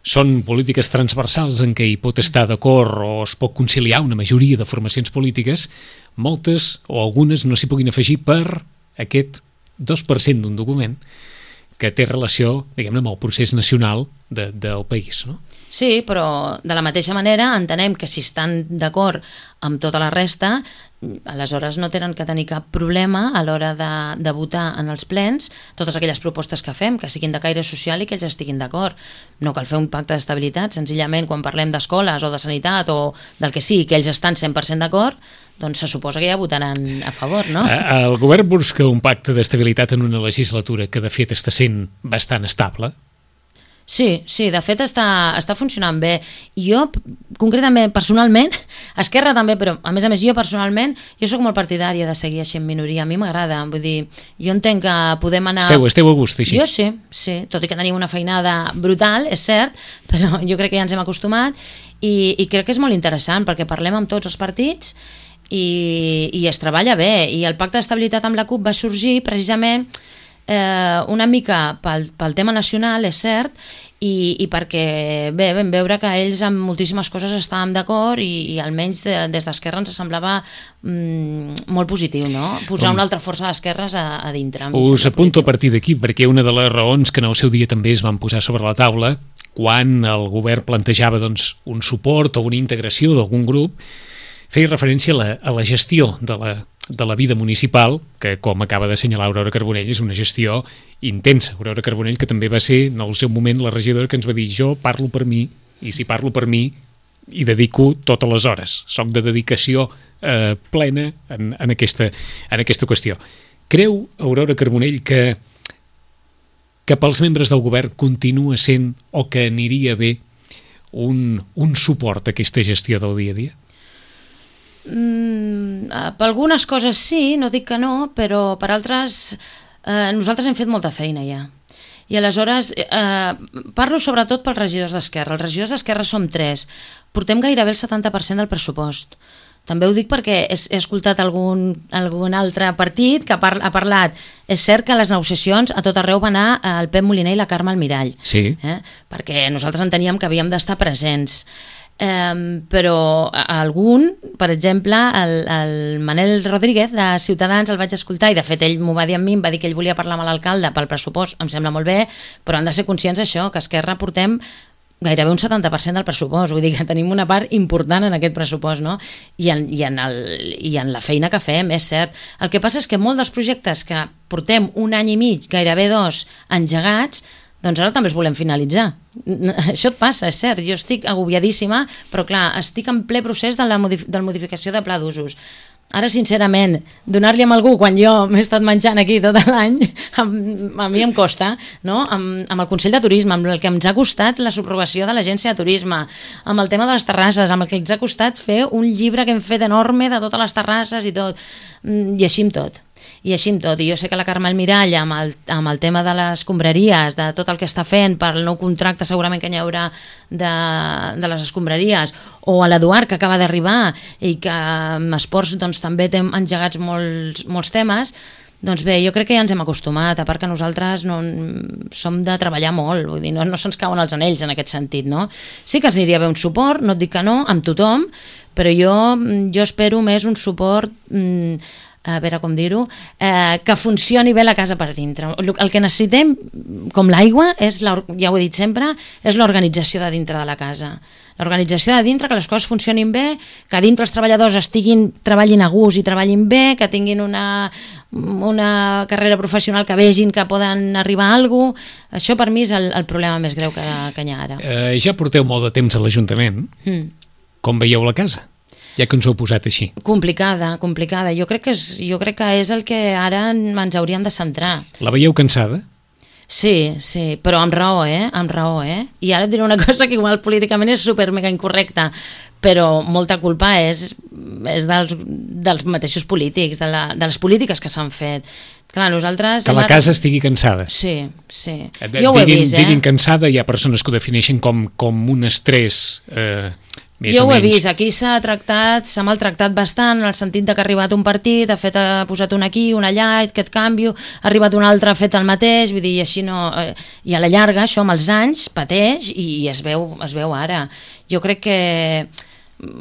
són polítiques transversals en què hi pot estar d'acord o es pot conciliar una majoria de formacions polítiques, moltes o algunes no s'hi puguin afegir per aquest dos per cent d'un document que té relació, diguem-ne, amb el procés nacional de, del país, no? Sí, però de la mateixa manera entenem que si estan d'acord amb tota la resta, aleshores no tenen que tenir cap problema a l'hora de, de votar en els plens totes aquelles propostes que fem, que siguin de caire social i que ells estiguin d'acord. No cal fer un pacte d'estabilitat, senzillament quan parlem d'escoles o de sanitat o del que sigui, que ells estan cent per cent d'acord, doncs se suposa que ja votaran a favor, no? El govern busca un pacte d'estabilitat en una legislatura que de fet està sent bastant estable. Sí, sí, de fet està, està funcionant bé. Jo, concretament, personalment, Esquerra també, però a més a més jo personalment, jo sóc molt partidària de seguir així en minoria, a mi m'agrada, vull dir, jo entenc que podem anar... Esteu, esteu a gust, així? Jo sí, sí, tot i que tenim una feinada brutal, és cert, però jo crec que ja ens hem acostumat i, i crec que és molt interessant perquè parlem amb tots els partits i, i es treballa bé, i el pacte d'estabilitat amb la CUP va sorgir precisament Eh, una mica pel, pel tema nacional, és cert, i, i perquè bé, vam veure que ells amb moltíssimes coses estàvem d'acord i, i almenys de, des d'Esquerra ens semblava mm, molt positiu, no? Posar Com? una altra força d'esquerres a, a dintre. Us apunto a partir d'aquí, perquè una de les raons que en el seu dia també es van posar sobre la taula quan el govern plantejava doncs, un suport o una integració d'algun grup feia referència a la, a la gestió de la de la vida municipal, que com acaba d'assenyalar Aurora Carbonell és una gestió intensa. Aurora Carbonell, que també va ser en el seu moment la regidora que ens va dir jo parlo per mi, i si parlo per mi hi dedico totes les hores, soc de dedicació eh, plena en, en, aquesta, en aquesta qüestió. Creu Aurora Carbonell que que pels membres del govern continua sent o que aniria bé un, un suport a aquesta gestió del dia a dia? Mm, per algunes coses sí, no dic que no, però per altres eh, nosaltres hem fet molta feina ja. I aleshores eh, parlo sobretot pels regidors d'Esquerra. Els regidors d'Esquerra som tres, portem gairebé el setanta per cent del pressupost. També ho dic perquè he, he escoltat algun, algun altre partit que ha, par, ha parlat. És cert que a les negociacions a tot arreu va anar el Pep Moliner i la Carme Almirall, sí. eh? Perquè nosaltres enteníem que havíem d'estar presents. Um, però algun, per exemple el, el Manel Rodríguez de Ciutadans el vaig escoltar i de fet ell m'ho va dir a mi, em va dir que ell volia parlar amb l'alcalde pel pressupost, em sembla molt bé, però han de ser conscients d'això, que Esquerra portem gairebé un setanta per cent del pressupost, vull dir que tenim una part important en aquest pressupost, no? I en, i, en el, i en la feina que fem, és cert. El que passa és que molts dels projectes que portem un any i mig, gairebé dos, engegats, doncs ara també els volem finalitzar. Això et passa, és cert, jo estic agobiadíssima, però clar, estic en ple procés de la modif- de la modificació de pla d'usos. Ara, sincerament, donar-li a algú quan jo m'he estat menjant aquí tot l'any, a, a mi em costa, no? Amb, amb el Consell de Turisme, amb el que ens ha costat la subrogació de l'Agència de Turisme, amb el tema de les terrasses, amb el que ens ha costat fer un llibre que hem fet enorme de totes les terrasses i tot, i així amb tot. I així amb tot, i jo sé que la Carme Almirall amb el, amb el tema de les escombraries, de tot el que està fent per el nou contracte segurament que hi haurà de, de les escombraries, o a l'Eduard que acaba d'arribar i que amb esports doncs, també té engegats molts, molts temes, doncs bé, jo crec que ja ens hem acostumat, a part que nosaltres no, som de treballar molt, vull dir, no, no se'ns cauen els anells en aquest sentit, no? Sí que ens aniria bé un suport, no et dic que no, amb tothom, però jo, jo espero més un suport... Mmm, a veure com dir-ho, eh, que funcioni bé la casa per dintre. El que necessitem, com l'aigua, és la, ja ho he dit sempre, és l'organització de dintre de la casa. l'organització de dintre, que les coses funcionin bé, que dintre els treballadors estiguin, treballin a gust i treballin bé, que tinguin una, una carrera professional, que vegin que poden arribar a alguna cosa. Això per mi és el, el problema més greu que, que hi ha ara. Eh, ja porteu molt de temps a l'Ajuntament. Mm. Com veieu la casa? Ja que ens ho heu posat així. Complicada, complicada. Jo crec que és, jo crec que és el que ara ens hauríem de centrar. La veieu cansada? Sí, sí, però amb raó, eh? Amb raó, eh? I ara et diré una cosa que igual políticament és super mega incorrecta, però molta culpa és, és dels, dels mateixos polítics, de, la, de les polítiques que s'han fet. Clar, nosaltres... Que la casa estigui cansada. Sí, sí. Jo ho he vist, eh? Diguin cansada, hi ha persones que ho defineixen com, com un estrès... Eh, més jo o ho he menys. vist, aquí s'ha tractat, s'ha maltractat bastant, en el sentit de que ha arribat un partit, ha, fet, ha posat un aquí, un allà, aquest canvi, ha arribat un altre, ha fet el mateix, vull dir, i així no... Eh, I a la llarga, això amb els anys, pateix i, i es, veu, es veu ara. Jo crec que...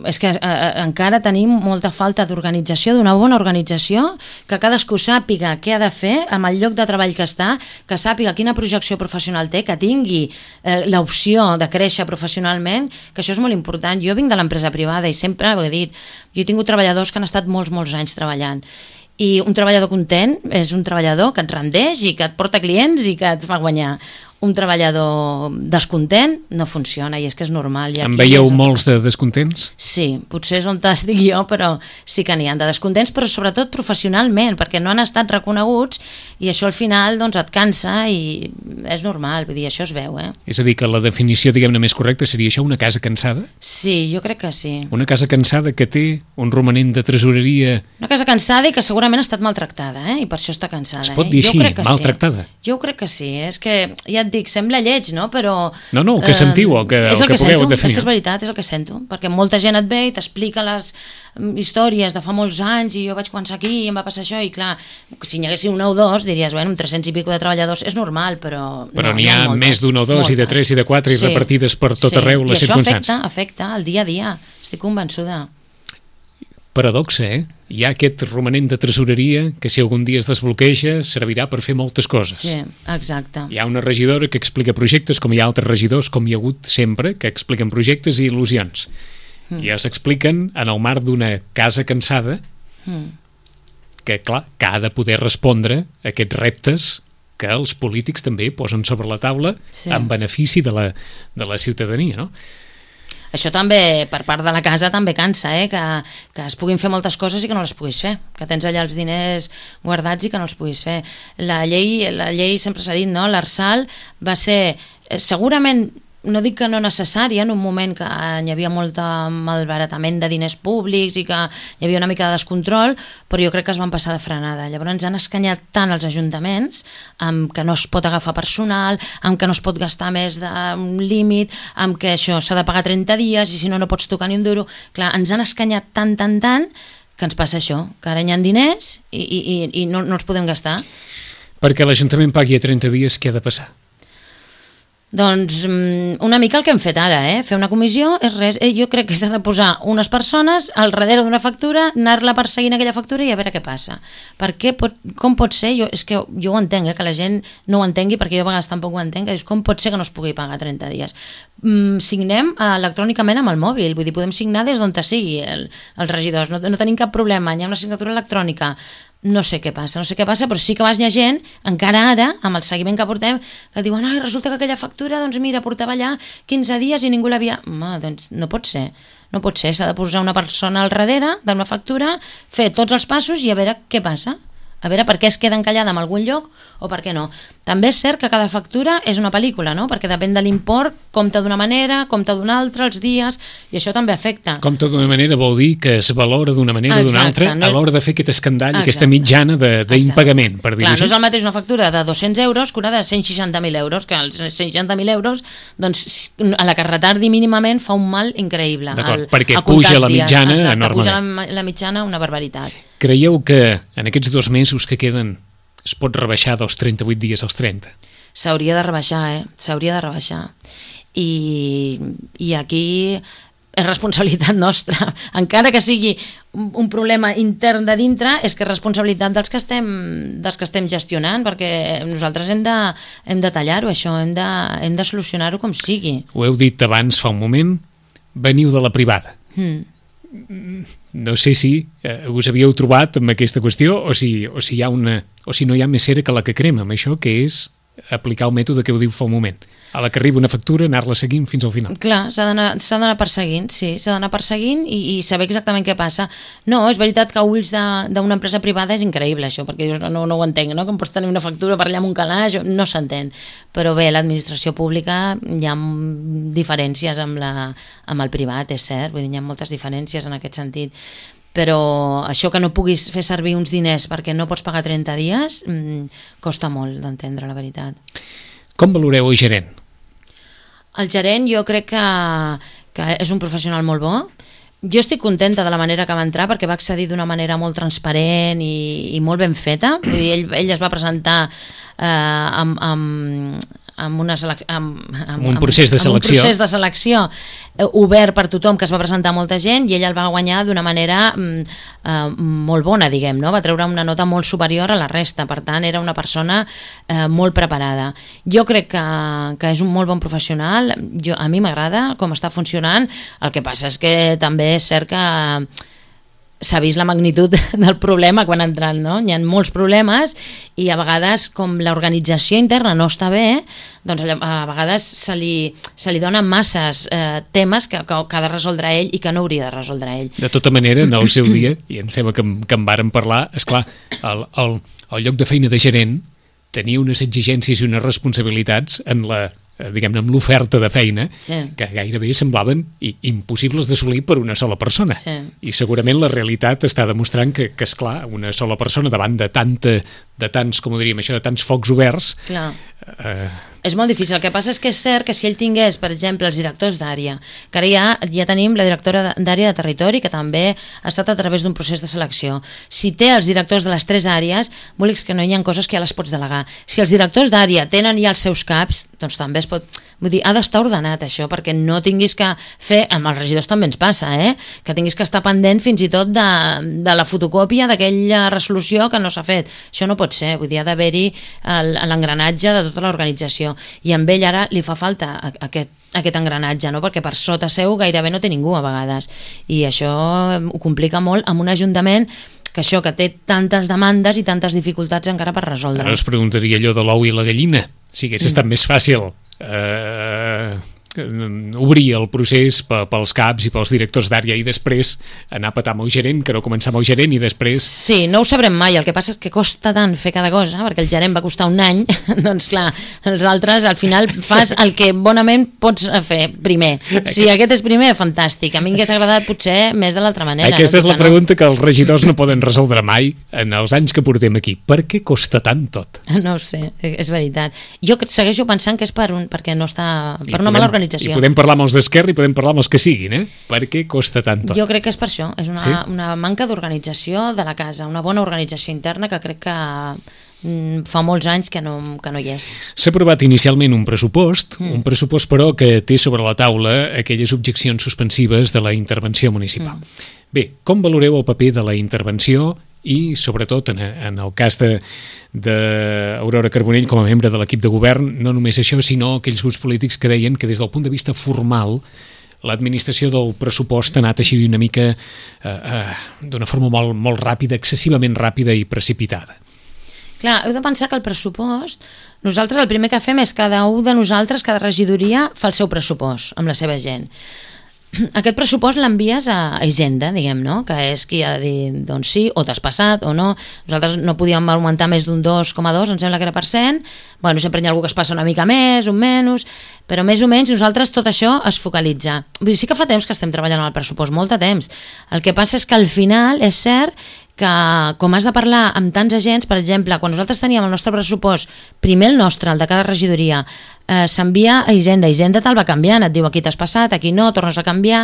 és que eh, encara tenim molta falta d'organització, d'una bona organització, que cadascú sàpiga què ha de fer amb el lloc de treball que està, que sàpiga quina projecció professional té, que tingui eh, l'opció de créixer professionalment, que això és molt important. Jo vinc de l'empresa privada i sempre ho he dit, jo he tingut treballadors que han estat molts, molts anys treballant, i un treballador content és un treballador que et rendeix i que et porta clients i que et fa guanyar. Un treballador descontent no funciona, i és que és normal. En veieu molts de descontents? Sí, potser és on estic jo, però sí que n'hi ha de descontents, però sobretot professionalment, perquè no han estat reconeguts i això al final doncs, et cansa i és normal, vull dir, això es veu. Eh? És a dir, que la definició, diguem-ne, més correcta seria això, una casa cansada? Sí, jo crec que sí. Una casa cansada que té un romanent de tresoreria... Una casa cansada i que segurament ha estat maltractada, eh? I per això està cansada. Es pot dir eh? així, maltractada? Sí. Jo crec que sí, és que ja dic, sembla lleig, no? Però... No, no, el que sentiu, el que, el el que, que pugueu sento, definir. És que és veritat, és el que sento, perquè molta gent et ve i t'explica les històries de fa molts anys i jo vaig començar aquí i em va passar això i clar, si n'hi hagués una o dos diries, bueno, amb tres-cents i pico de treballadors és normal, però... Però no, n'hi ha, ha moltes, més d'un o dos moltes. I de tres i de quatre sí, i repartides per tot sí. arreu les circumstàncies. I això afecta, afecta el dia a dia, estic convençuda. Paradoxa, eh? Hi ha aquest romanent de tresoreria que si algun dia es desbloqueja servirà per fer moltes coses. Sí, exacte. Hi ha una regidora que explica projectes, com hi ha altres regidors, com hi ha hagut sempre, que expliquen projectes i il·lusions. Mm. I es expliquen en el marc d'una casa cansada mm. que, clar, que ha de poder respondre a aquests reptes que els polítics també posen sobre la taula sí. en benefici de la, de la ciutadania, no? Això també, per part de la casa, també cansa, eh? que, que es puguin fer moltes coses i que no les puguis fer, que tens allà els diners guardats i que no els puguis fer. La llei, la llei sempre s'ha dit, no? l'Arsal va ser segurament, no dic que no necessària, en un moment que hi havia molt malbaratament de diners públics i que hi havia una mica de descontrol, però jo crec que es van passar de frenada. Llavors ens han escanyat tant els ajuntaments amb que no es pot agafar personal, amb que no es pot gastar més d'un límit, amb que això s'ha de pagar trenta dies i si no no pots tocar ni un duro. Clar, ens han escanyat tant, tant, tant que ens passa això, que ara hi ha diners i, i, i no, no els podem gastar. Perquè l'Ajuntament pagui a trenta dies, què ha de passar? Doncs una mica el que hem fet ara, eh? Fer una comissió és res. Jo crec que s'ha de posar unes persones al darrere d'una factura, anar-la perseguint aquella factura i a veure què passa. Per què pot, com pot ser? Jo, és que jo ho entenc, eh? Que la gent no ho entengui, perquè jo a vegades tampoc ho entenc, que dius, com pot ser que no es pugui pagar trenta dies? Mm, signem electrònicament amb el mòbil, vull dir, podem signar des d'on sigui el, els regidors, no, no tenim cap problema, hi ha una signatura electrònica. No sé què passa, no sé què passa, però sí que vas hi ha gent, encara ara, amb el seguiment que portem, que diuen, ai, resulta que aquella factura, doncs mira, portava allà quinze dies i ningú l'havia... Home, doncs no pot ser, no pot ser, s'ha de posar una persona al darrere d'una factura, fer tots els passos i a veure què passa. A veure per què es queda encallada en algun lloc o per què no. També és cert que cada factura és una pel·lícula, no? Perquè depèn de l'import, compta d'una manera, compta d'una altra, els dies, i això també afecta. Compta d'una manera vol dir que es valora d'una manera o d'una altra no... a l'hora de fer aquest escandall, exacte, aquesta mitjana d'impagament, per dir-ho així. Clar, no és el mateix una factura de dos-cents euros que una de cent seixanta mil euros, que els cent seixanta mil euros, doncs, a la que retardi mínimament fa un mal increïble. D'acord, perquè puja la mitjana dies, exacte, enormement. Puja la, la mitjana una barbaritat. Creieu que en aquests dos mesos que queden es pot rebaixar dels trenta-vuit dies als trenta? S'hauria de rebaixar, eh? S'hauria de rebaixar. I, i aquí és responsabilitat nostra. Encara que sigui un, un problema intern de dintre, és que és responsabilitat dels que estem, dels que estem gestionant, perquè nosaltres hem de, hem de tallar-ho, això, hem de, hem de solucionar-ho com sigui. Ho heu dit abans fa un moment, veniu de la privada. Mm. No sé si eh, us havíeu trobat amb aquesta qüestió o si, o si hi ha una, o si no hi ha més cera que la que crema amb això, que és aplicar el mètode que heu dit fa un moment. A la que arriba una factura, anar-la seguint fins al final. Clar, s'ha d'anar s'ha d'anar perseguint, sí, s'ha d'anar perseguint i, i saber exactament què passa. No, és veritat que a ulls d'una empresa privada és increïble això, perquè dius, no, no ho entenc, no? Com pots tenir una factura per allà amb un calaix, no s'entén. Però bé, l'administració pública hi ha diferències amb, la, amb el privat, és cert, vull dir, hi ha moltes diferències en aquest sentit. Però això que no puguis fer servir uns diners perquè no pots pagar trenta dies mmm, costa molt d'entendre, la veritat. Com valoreu el gerent? El gerent jo crec que, que és un professional molt bo. Jo estic contenta de la manera que va entrar perquè va accedir d'una manera molt transparent i, i molt ben feta. Vull dir, ell, ell es va presentar eh, amb, amb, amb, una selec... amb, amb, amb un procés de selecció, amb un procés de selecció eh, obert per tothom, que es va presentar molta gent i ell el va guanyar d'una manera mm, eh, molt bona, diguem, no? Va treure una nota molt superior a la resta, per tant era una persona eh, molt preparada. Jo crec que, que és un molt bon professional, jo, a mi m'agrada com està funcionant, el que passa és que també és cert que s'ha vist la magnitud del problema quan ha entrat, no? Hi ha molts problemes i a vegades, com l'organització interna no està bé, doncs a vegades se li, se li donen masses eh, temes que, que, que ha de resoldre ell i que no hauria de resoldre ell. De tota manera, en el seu dia, i em sembla que, que en vàrem parlar, esclar, el, el, el lloc de feina de gerent tenia unes exigències i unes responsabilitats en la diguem-ne, amb l'oferta de feina, sí, que gairebé semblaven impossibles d'assolir per una sola persona. Sí. I segurament la realitat està demostrant que, que esclar, una sola persona davant de tanta, de tants, com ho diríem, això, de tants focs oberts... Clar. Eh... És molt difícil. El que passa és que és cert que si ell tingués, per exemple, els directors d'àrea, que ara ja, ja tenim la directora d'àrea de territori, que també ha estat a través d'un procés de selecció. Si té els directors de les tres àrees, vol dir que no hi ha coses que ja les pots delegar. Si els directors d'àrea tenen ja els seus caps, doncs també es pot... Vull dir, ha d'estar ordenat això, perquè no tinguis que fer... Amb els regidors també ens passa, eh? Que tinguis que estar pendent fins i tot de, de la fotocòpia d'aquella resolució que no s'ha fet. Això no pot ser. Vull dir, ha d'haver-hi l'engranatge de tota l'organització. I amb ell ara li fa falta aquest, aquest engranatge, no? Perquè per sota seu gairebé no té ningú a vegades. I això ho complica molt amb un ajuntament que això, que té tantes demandes i tantes dificultats encara per resoldre. Ara us preguntaria allò de l'ou i la gallina. Si hagués estat mm. més fàcil eh, obrir el procés pels caps i pels directors d'àrea i després anar a petar amb el gerent, que no començar amb el gerent i després... Sí, no ho sabrem mai, el que passa és que costa tant fer cada cosa, perquè el gerent va costar un any, doncs clar, els altres al final fas el que bonament pots fer primer. Si aquest és primer, fantàstic. A mi m'hagués agradat potser més de l'altra manera. Aquesta no? és la pregunta que els regidors no poden resoldre mai en els anys que portem aquí. Per què costa tant tot? No ho sé, és veritat. Jo segueixo pensant que és per un, perquè no està, per I una podem, mala organització. I podem parlar amb els d'Esquerra i podem parlar amb els que siguin, eh? Per què costa tant tot? Jo crec que és per això, és una, sí? una manca d'organització de la casa, una bona organització interna que crec que mm, fa molts anys que no, que no hi és. S'ha aprovat inicialment un pressupost, mm. un pressupost però que té sobre la taula aquelles objeccions suspensives de la intervenció municipal. Mm. Bé, com valoreu el paper de la intervenció i, sobretot, en, en el cas d'Aurora Carbonell com a membre de l'equip de govern, no només això, sinó aquells grups polítics que deien que des del punt de vista formal l'administració del pressupost ha anat així una mica eh, eh, d'una forma molt, molt ràpida, excessivament ràpida i precipitada. Clar, heu de pensar que el pressupost, nosaltres el primer que fem és cada un de nosaltres, cada regidoria fa el seu pressupost amb la seva gent. Aquest pressupost l'envies a Hisenda, diguem, no? Que és qui ha de dir doncs sí, o t'has passat o no. Nosaltres no podíem augmentar més d'un dos coma dos, em sembla que era per cent. Bueno, sempre hi ha algú que es passa una mica més, un menys, però més o menys nosaltres tot això es focalitza. Vull dir, sí que fa temps que estem treballant amb el pressupost, molt de temps. El que passa és que al final és cert que com has de parlar amb tants agents, per exemple, quan nosaltres teníem el nostre pressupost, primer el nostre, el de cada regidoria, eh, s'envia a Hisenda, Hisenda te'l va canviant, et diu aquí t'has passat, aquí no, tornes a canviar,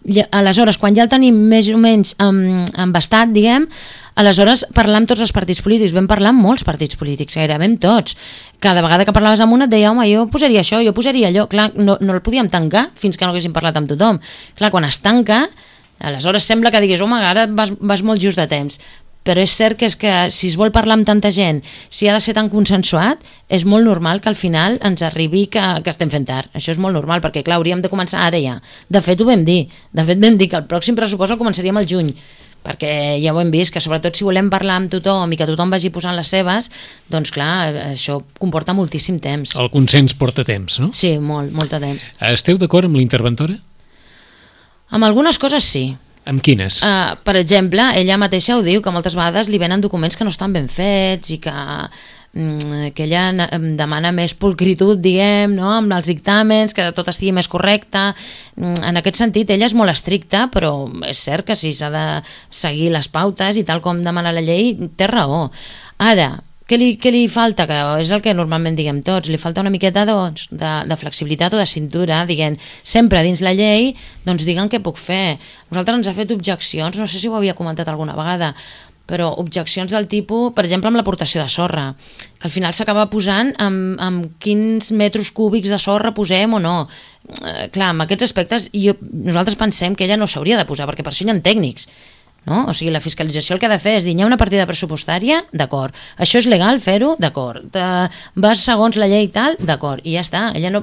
i aleshores quan ja el tenim més o menys embastat, diguem, aleshores parlar amb tots els partits polítics, vam parlar amb molts partits polítics, gairebé amb tots. Cada vegada que parlaves amb un et deia, home, jo posaria això, jo posaria allò, clar, no, no el podíem tancar fins que no haguéssim parlat amb tothom. Clar, quan es tanca, aleshores sembla que diguis, home, ara vas, vas molt just de temps, però és cert que, és que si es vol parlar amb tanta gent, si ha de ser tan consensuat, és molt normal que al final ens arribi que, que estem fent tard. Això és molt normal, perquè clar, hauríem de començar ara ja. De fet, ho vam dir. De fet, vam dir que el pròxim pressupost el començaríem al juny, perquè ja ho hem vist, que sobretot si volem parlar amb tothom i que tothom vagi posant les seves, doncs clar, això comporta moltíssim temps. El consens porta temps, no? Sí, molt, molt de temps. Esteu d'acord amb la interventora? Amb algunes coses sí. Amb quines? Uh, per exemple, ella mateixa ho diu, que moltes vegades li venen documents que no estan ben fets i que, mm, que ella demana més pulcritud, diguem, no? Amb els dictàmens, que tot estigui més correcte. En aquest sentit, ella és molt estricta, però és cert que si s'ha de seguir les pautes i tal com demana la llei, té raó. Ara, què li, què li falta? Que és el que normalment diguem tots, li falta una miqueta doncs, de, de flexibilitat o de cintura, diguem, sempre dins la llei, doncs diguen què puc fer. Nosaltres ens ha fet objeccions, no sé si ho havia comentat alguna vegada, però objeccions del tipus, per exemple, amb l'aportació de sorra, que al final s'acaba posant amb, amb quins metres cúbics de sorra posem o no. Eh, clar, amb aquests aspectes jo, nosaltres pensem que ella no s'hauria de posar, perquè per això hi ha tècnics. No? O sigui, la fiscalització el que ha de fer és dir, hi ha una partida pressupostària, d'acord, això és legal fer-ho, d'acord, vas segons la llei i tal, d'acord, i ja està. Ella, no,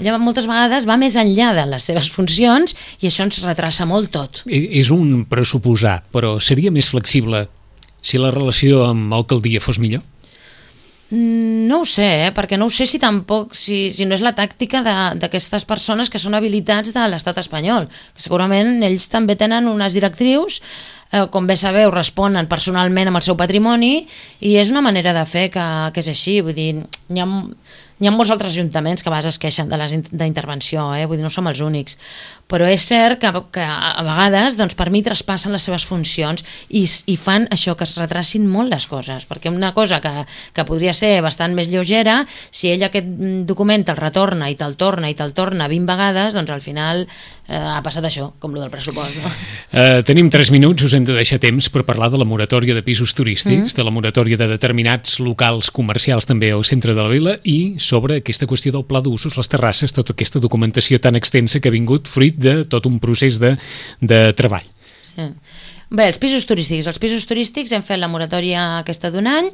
ella moltes vegades va més enllà de les seves funcions i això ens retrassa molt tot. És un pressuposar, però seria més flexible si la relació amb alcaldia fos millor? No ho sé, eh? Perquè no ho sé si tampoc, si, si no és la tàctica d'aquestes persones que són habilitats de l'estat espanyol, que segurament ells també tenen unes directrius, eh, com bé sabeu, responen personalment amb el seu patrimoni i és una manera de fer que, que és així, vull dir, hi ha, hi ha molts altres ajuntaments que a vegades es queixen de d'intervenció, eh? Vull dir, no som els únics, però és cert que, que a vegades doncs, per mi traspassen les seves funcions i, i fan això, que es retracin molt les coses, perquè una cosa que, que podria ser bastant més lleugera, si ell aquest document te'l retorna i te'l torna i te'l torna vint vegades, doncs al final eh, ha passat això, com el del pressupost. No? Uh, tenim tres minuts, us hem de deixar temps per parlar de la moratòria de pisos turístics, mm. de la moratòria de determinats locals comercials també al centre de la vila i sobre aquesta qüestió del pla d'usos, les terrasses, tota aquesta documentació tan extensa que ha vingut fruit de tot un procés de, de treball. Sí. Bé, els pisos turístics. Els pisos turístics hem fet la moratòria aquesta d'un any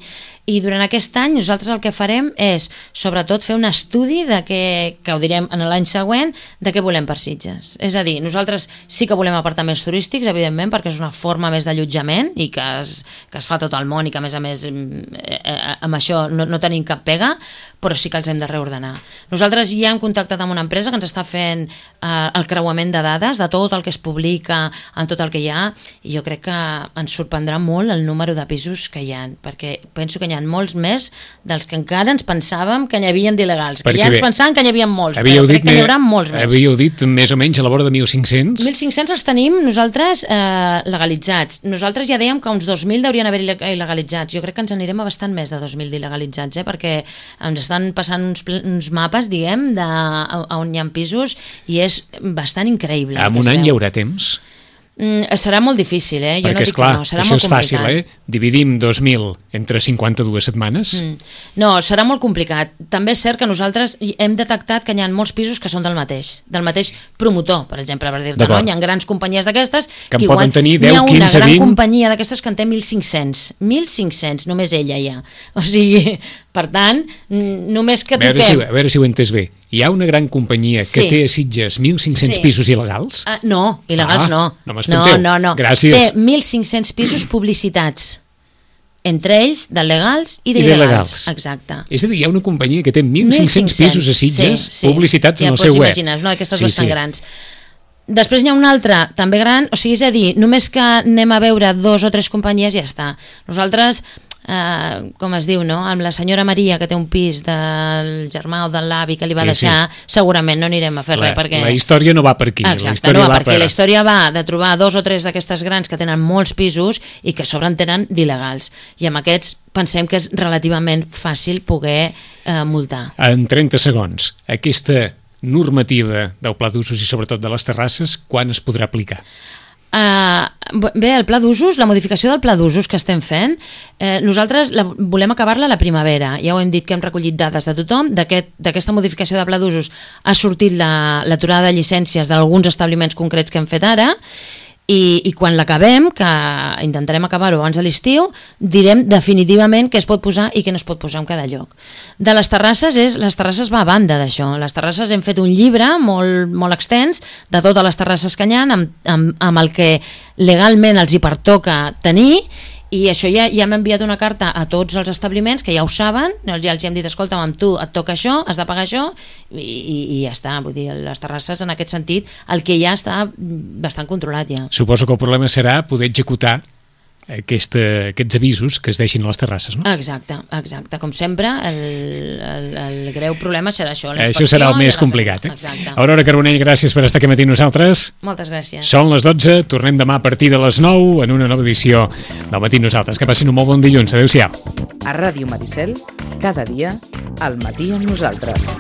i durant aquest any nosaltres el que farem és sobretot fer un estudi de què, que ho direm en l'any següent, de què volem per Sitges. És a dir, nosaltres sí que volem apartaments turístics, evidentment, perquè és una forma més d'allotjament i que es, que es fa tot el món i que a més a més eh, amb això no, no tenim cap pega, però sí que els hem de reordenar. Nosaltres ja hem contactat amb una empresa que ens està fent eh, el creuament de dades de tot el que es publica, en tot el que hi ha, i jo crec que ens sorprendrà molt el número de pisos que hi ha, perquè penso que hi ha molts més dels que encara ens pensàvem que n'hi havia d'il·legals, que perquè ja ens bé, pensàvem que n'hi havia molts, però crec que n'hi haurà molts més. Havíeu dit més o menys a la vora de mil cinc-cents? mil cinc-cents els tenim nosaltres eh, legalitzats. Nosaltres ja dèiem que uns dos mil deurien haver il·legalitzats. Jo crec que ens anirem a bastant més de dos mil d'il·legalitzats, eh, perquè ens estan passant uns, uns mapes, diguem, de, on hi ha pisos i és bastant increïble. En un any hi haurà temps? Mm, serà molt difícil, eh? Jo perquè, no dic esclar, que no, serà això molt és complicat. fàcil, eh? Dividim dos mil entre cinquanta-dues setmanes. Mm. No, serà molt complicat. També és cert que nosaltres hem detectat que hi ha molts pisos que són del mateix, del mateix promotor, per exemple, per dir-te, no? Hi ha grans companyies d'aquestes que, que en poden tenir deu, quinze, vint... Hi ha una gran companyia d'aquestes que en té mil cinc-cents. mil cinc-cents, només ella ja. O sigui, per tant, només que toquem... Si, a veure si ho he entès bé. Hi ha una gran companyia que sí. té a Sitges mil cinc-cents sí. pisos il·legals? Uh, no, il·legals ah, no. No m'espanteu. No, no, no. Gràcies. Té mil cinc-cents pisos publicitats, entre ells de legals i d'il·legals. Exacte. És a dir, hi ha una companyia que té mil cinc-cents pisos a Sitges sí, sí. publicitats ja en el seu web. Ja pots imaginar, una d'aquestes sí, bastant sí. grans. Després n'hi ha una altra, també gran, o sigui, és a dir, només que anem a veure dos o tres companyies ja està. Nosaltres... Uh, com es diu, no? Amb la senyora Maria que té un pis del germà o de l'avi que li va sí, deixar, sí. segurament no anirem a fer la, res perquè... La història no va per aquí. Exacte, la història no va va per aquí. Per... La història va de trobar dos o tres d'aquestes grans que tenen molts pisos i que a sobre en tenen d'il·legals. I amb aquests pensem que és relativament fàcil poder uh, multar. En trenta segons, aquesta normativa del pla d'usos i sobretot de les terrasses, quan es podrà aplicar? Uh, bé, el pla d'usos, la modificació del pla d'usos que estem fent, eh, nosaltres la, volem acabar-la a la primavera. Ja ho hem dit que hem recollit dades de tothom. D'aquesta aquest, modificació de pla d'usos ha sortit l'aturada la, de llicències d'alguns establiments concrets que hem fet ara I, i quan l'acabem, que intentarem acabar-ho abans de l'estiu, direm definitivament què es pot posar i què no es pot posar en cada lloc. De les terrasses, és, les terrasses va a banda d'això. Les terrasses hem fet un llibre molt, molt extens de totes les terrasses que hi ha, amb, amb, amb el que legalment els hi pertoca tenir, i això ja, ja hem enviat una carta a tots els establiments que ja ho saben, ja els hem dit, escolta, amb tu et toca això, has de pagar això, i, i, i ja està. Vull dir, les terrasses en aquest sentit, el que ja està bastant controlat ja. Suposo que el problema serà poder executar Aquesta, aquests avisos que es deixin a les terrasses, no? Exacte, exacte. Com sempre, el, el, el greu problema serà això. Això serà el més complicat. Eh? Exacte. Aurora Carbonell, gràcies per estar aquí matí amb nosaltres. Moltes gràcies. Són les dotze, tornem demà a partir de les nou en una nova edició del Matí amb Nosaltres. Que passin un molt bon dilluns. Adéu-siau. A Ràdio Maricel, cada dia, al matí amb nosaltres.